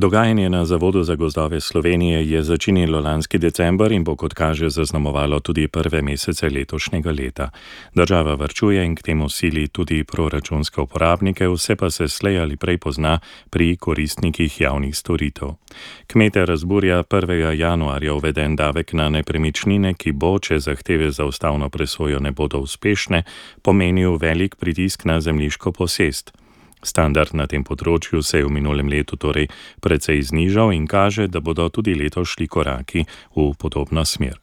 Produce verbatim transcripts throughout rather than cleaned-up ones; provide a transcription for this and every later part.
Dogajanje na Zavodu za gozdove Slovenije je začinilo lanski december in bo, kot kaže, zaznamovalo tudi prve mesece letošnjega leta. Država varčuje in k temu sili tudi proračunske uporabnike, vse pa se slej ali prej pozna pri koristnikih javnih storitev. Kmete razburja prvega januarja uveden davek na nepremičnine, ki bo, če zahteve za ustavno presojo ne bodo uspešne, pomenil velik pritisk na zemljiško posest. Standard na tem področju se je v minulem letu torej precej znižal in kaže, da bodo tudi letos šli koraki v podobno smer.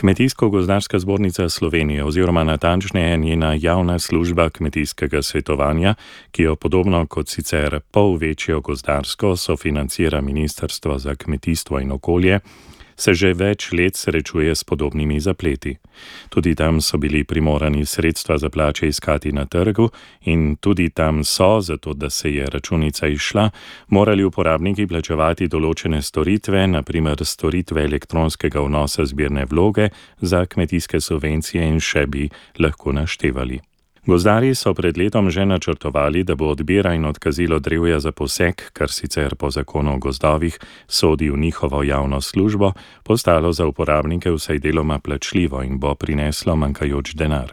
Kmetijsko-gozdarska zbornica Slovenije oziroma natančneje njena javna služba kmetijskega svetovanja, ki jo podobno kot sicer pol večjo gozdarsko sofinancira Ministrstvo za kmetijstvo in okolje, se že več let srečuje s podobnimi zapleti. Tudi tam so bili primorani sredstva za plače iskati na trgu in tudi tam so, zato da se je računica izšla, morali uporabniki plačevati določene storitve, na primer storitve elektronskega vnosa zbirne vloge za kmetijske subvencije in še bi lahko naštevali. Gozdarji so pred letom že načrtovali, da bo odbira in odkazilo drevja za posek, kar sicer po zakonu o gozdovih sodi v njihovo javno službo, postalo za uporabnike vsaj deloma plačljivo in bo prineslo manjkajoč denar.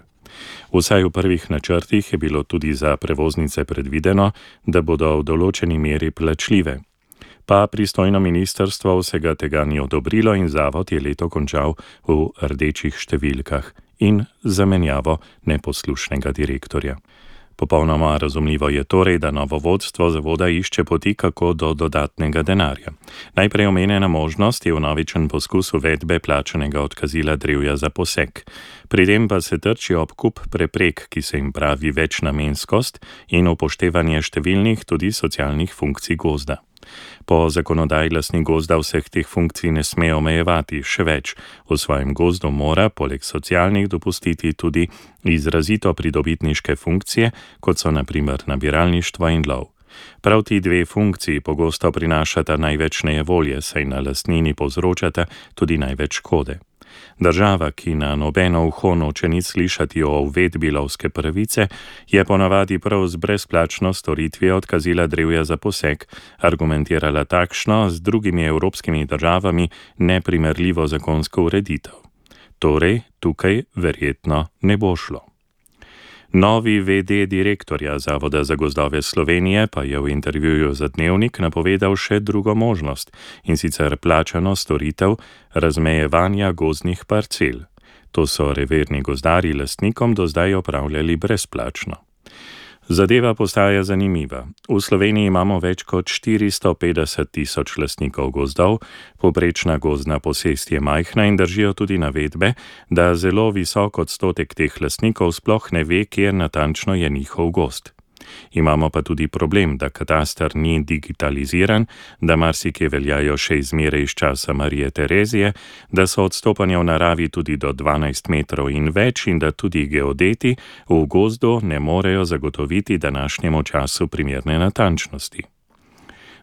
Vsaj v prvih načrtih je bilo tudi za prevoznice predvideno, da bodo v določeni meri plačljive. Pa pristojno ministrstvo vsega tega ni odobrilo in zavod je leto končal v rdečih številkah in zamenjavo neposlušnega direktorja. Popolnoma razumljivo je torej, da novo vodstvo zavoda išče poti, kako do dodatnega denarja. Najprej omenjena možnost je vnovičen poskus uvedbe plačanega odkazila drevja za posek. Pri tem pa se trči ob kup preprek, ki se jim pravi večnamenskost in upoštevanje številnih tudi socialnih funkcij gozda. Po zakonodaji lastnik gozda vseh teh funkcij ne sme omejevati, še več, v svojem gozdu mora poleg socialnih dopustiti tudi izrazito pridobitniške funkcije, kot so na primer nabiralništvo in lov. Prav ti dve funkciji pogosto prinašata največ nejevolje, saj na lastnini povzročata tudi največ škode. Država, ki na nobeno uho noče nič slišati o uvedbi lovske pravice, je ponavadi prav z brezplačno storitvijo odkazila drevja za posek argumentirala takšno z drugimi evropskimi državami neprimerljivo zakonsko ureditev. Torej, tukaj verjetno ne bo šlo. Novi ve de direktorja Zavoda za gozdove Slovenije pa je v intervjuju za Dnevnik napovedal še drugo možnost, in sicer plačano storitev razmejevanja gozdnih parcel. To so reverni gozdarji lastnikom do zdaj opravljali brezplačno. Zadeva postaja zanimiva. V Sloveniji imamo več kot štiristo petdeset tisoč lastnikov gozdov, povprečna gozdna posest je majhna in držijo tudi navedbe, da zelo visok odstotek teh lastnikov sploh ne ve, kje natančno je njihov gozd. Imamo pa tudi problem, da kataster ni digitaliziran, da marsikje veljajo še izmere iz časa Marije Terezije, da so odstopanja v naravi tudi do dvanajst metrov in več in da tudi geodeti v gozdu ne morejo zagotoviti današnjemu času primerne natančnosti.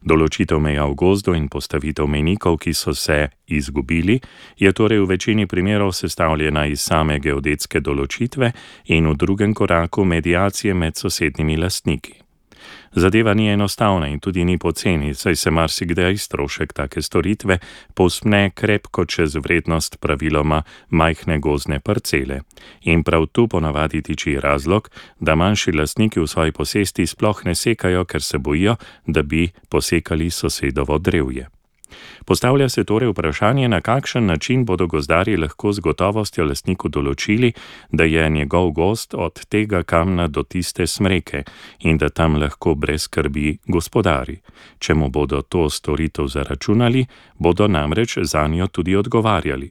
Določitev meja v gozdu in postavitev mejnikov, ki so se izgubili, je torej v večini primerov sestavljena iz same geodetske določitve in v drugem koraku mediacije med sosednjimi lastniki. Zadeva ni enostavna in tudi ni poceni, saj se marsikdaj strošek take storitve povzpne krepko čez vrednost praviloma majhne gozdne parcele. In prav tu ponavadi tiči razlog, da manjši lastniki v svoji posesti sploh ne sekajo, ker se bojijo, da bi posekali sosedovo drevje. Postavlja se torej vprašanje, na kakšen način bodo gozdarji lahko z gotovostjo lastniku določili, da je njegov gozd od tega kamna do tiste smreke in da tam lahko brez skrbi gospodari. Če mu bodo to storitev zaračunali, bodo namreč zanjo tudi odgovarjali.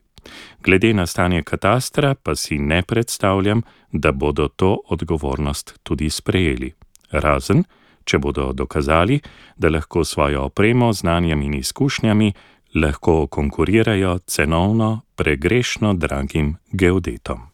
Glede na stanje katastra pa si ne predstavljam, da bodo to odgovornost tudi sprejeli. Razen, če bodo dokazali, da lahko svojo opremo, znanjem in izkušnjami lahko konkurirajo cenovno pregrešno dragim geodetom.